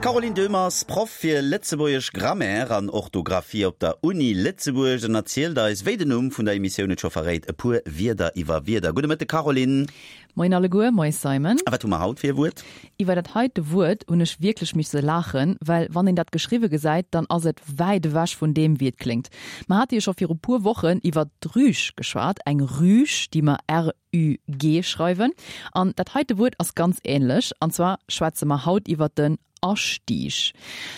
D'Caroline Döhm ass Proff fir lëtzebuergesch Grammaire an Orthografie op der Uni Lëtzebuerg an erzielt eis, wéi den Numm vun der Emissioun et scho verréit, e puer Wierder iwwer Wierder. Gudde Mëtteg Caroline. Moien alleguer, moie Simon. A wat hu mer haut fir e Wuert? Iwwer dat heite Wuert hunn ech wierklech misse laachen, well wann een dat geschriwwe gesäit, dann ass et wäit ewech vun deem, wéi et kléngt. Mer hate jo scho viru puer Wochen iwwer d'Rüg geschwat, eng Rüg, déi mer RÜG schreiwen. An dat heite Wuert ass ganz änlech, an zwar schwätze mer haut iwwer den Astieg.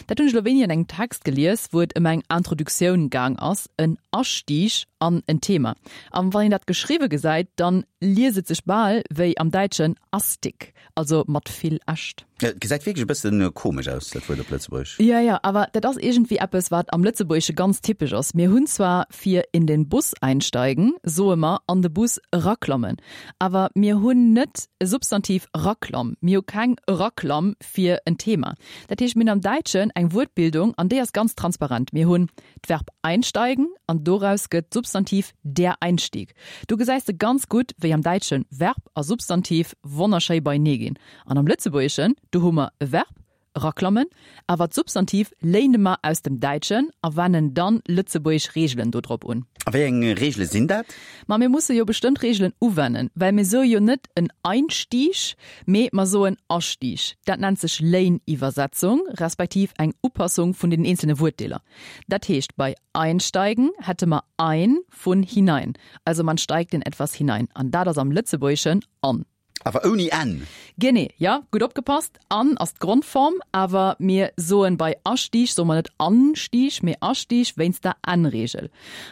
Dat hunn ech elo wéini an engem Text gelies, wou et ëm eng Introductioun gaang ass, en Astieg an en Thema. An wann een dat geschriwwe gesäit, dann liest et sech bal wéi am Däitschen Astik, also mat vill Äscht. Et gesäit wierklech e bëssen komesch aus, dat Wuert op Lëtzebuergesch. Jo, jo, awer dat ass iergendwéi eppes, wat am Lëtzebuergesche ganz typesch ass. Mir hunn zwar fir in den Bus einsteigen soe mer an de Bus eraklammen, awer mir hunn net e Substantiv Raklamm. Mir hu keng Raklamm fir en Thema. Dat heescht, mir hunn am Däitschen eng Wuertbildung an déi ass ganz transparent. Mir hunn d'Verb einsteigen an doraus gëtt d'Substantiv der Einstieg. Do gesäis de ganz gutt, wéi am Däitsche Verb a Substantiv wonnerschéi beienee ginn. An am Lëtzebuergeschen, do hu mer e Verb, eraklammen, awer d'Substantiv léine mer aus dem Däitschen a wennen dann lëtzebuergesch Reegelen do drop un. A wéi eng Reegele sinn dat? Ma mir musse jo bestëmmt Reegelen uwennen, well mir soe jo net en Einstieg, mee mer soen Astieg. Dat nennt sech Léiniwwersetzung, respektiv eng Upassung vun den eenzelne Wuertdeeler. Dat heescht, bei einsteigen hätte mer ein vun hinein, also man steigt in etwas hinein, an dat ass am Lëtzebuergeschen an. Awer ouni n. Genee, jo, gutt opgepasst. An ass d'Grondform, awer mir soen bei Astieg soe mer net Anstieg, mee Astieg wéinst der n-Reegel.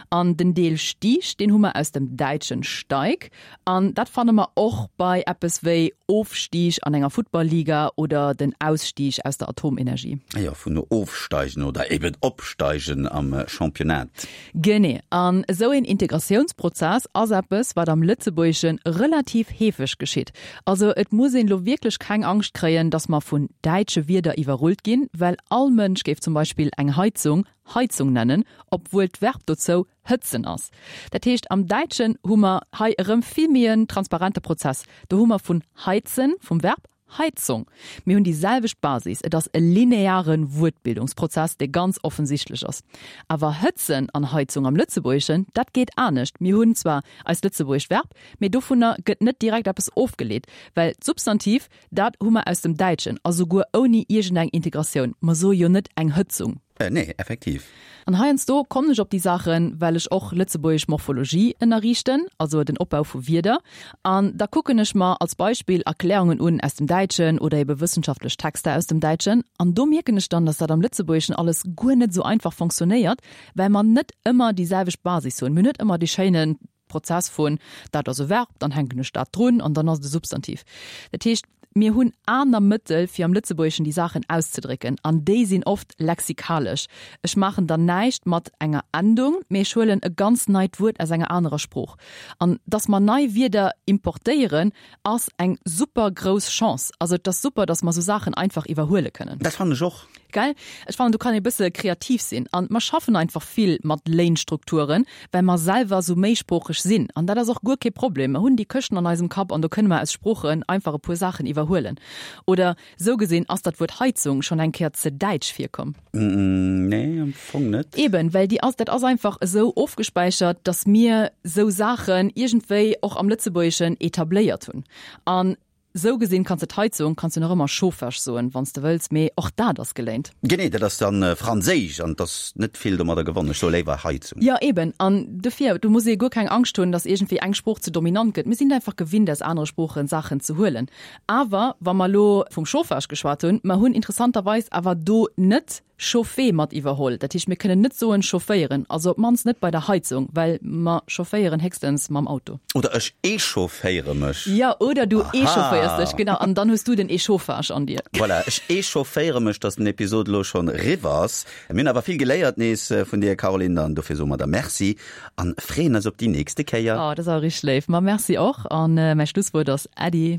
An den Deel Stieg, deen hu mer aus dem Däitschen Steig, an dat fanne mer och bei eppes wéi Ofstieg an enger Futtball-Liga oder den Ausstieg aus der Atomenergie. Jo, vun ofsteigen oder eben opsteigen am Championnat. Genee. An esou een Integratiounsprozess ass eppes, wat am Lëtzebuergesche relativ heefeg geschitt. Also et muss een elo wierklech keng Angscht kréien, datt mer vun däitsche Wierder iwwerrullt ginn, well all Mënsch géif zum Beispill eng Heizung Heizung nennen, obwuel d'Verb dozou hëtzen ass. Dat heescht, am Däitschen hu mer hei erëm vill méi en transparente Prozess. Do hu mer vun heizen, vum Verb, Heizung. Mir hunn déi selwecht Basis, et ass e lineare Wuertbildungsprozess, dee ganz offensichtlech ass. Awer hëtzen an Heizung am Lëtzebuergeschen, dat geet anescht. Mir hunn zwar eist lëtzebuergescht Verb, mee dovunner gëtt net direkt eppes ofgeleet, well d'Substantiv, dat hu mer aus dem Däitschen, a souguer ouni iergendeng Integratioun. Mer soe jo net eng Hëtzung. Nee, effektiv. An heiansdo kommen ech op déi Saachen, well ech och lëtzebuergesch Morphologie ënnerriichten, also den Opbau vu Wierder. An da kucken ech mer als Beispill Erklärungen un aus dem Däitschen oder ebe wëssenschaftlech Texter aus dem Däitschen. An do mierken ech dann, dass dat am Lëtzebuergeschen alles guer net esou einfach fonctionnéiert, well mer net ëmmer déi selwecht Basis hunn. Mir hunn net ëmmer dee schéine Prozess vun, dat ass e Verb, dann hänken ech dat drun an dann ass et e Substantiv. Dat heescht, mir hunn aner Mëttel, fir am Lëtzebuergeschen déi Saachen auszedrécken, an déi sinn oft lexikalesch. Ech maachen dann näischt mat enger Endung, mee ech huelen e ganz neit Wuert aus enger anerer Sprooch. An dass mer nei Wierder importéieren, ass eng super grouss Chance. Also et ass super, dass mer esou Saachen einfach iwwerhuele kënnen. Dat fannen ech och. Gell? Ech fannen, do kann ee bësse kreativ sinn. An mer schaffen einfach vill mat Léinstrukturen, well mer selwer esou méisproocheg sinn. An dat ass och guer kee Problem. Mer hunn déi Këschten an eisem Kapp an do kënne mer aus Sproochen einfach e puer Saachen iwwerhuelen. Oder esou gesinn, ass dat Wuert Heizung schonn eng Kéier ze däitsch virkomm? Nee, am Fong net. Eben, well déi ass, dat ass einfach esou ofgespäichert, datt mir esou Saachen iergendwéi och am Lëtzebuergeschen etabléiert hunn. An Sou gesinn kanns de d'Heizung kanns du nach ëmmer Chauffage soen wanns de wëlls, mee och dat ass geléint. Genee, dat ass dann franséisch an et ass net vill domadder gewonnen. Ech soe léiwer Heizung. Jo eben, an dofir, do muss ee guer keng Angscht hunn, dass iergendwéi eng Sprooch ze dominant gëtt. Mir sinn einfach gewinnt aus anere Sproochen Saachen ze huelen. Awer wa mer elo vum Chauffage geschwat hunn, mer hunn interessanterweis awer do net Chauffer mat iwwerholl. Dat heescht, mir kënnen net soen chaufféieren, also op d'mannst net bei der Heizung, well mer chaufféieren héchstens mam Auto. Oder ech echaufféiere mech. Jo, oder du echaufféiers dech, genau, an dann hues du den Echauffage an dir. Voilà, ech echaufféiere mech, dass den Episod elo schonn eriwwer ass. Mir hunn awer vill geléiert nees vun dir, Caroline, an dofir soe mer der Merci an freeën eis op déi nächste Kéier. Oh, dat ass awer richteg léif. Ma merci och, an mäi Schlusswuert ass Äddi.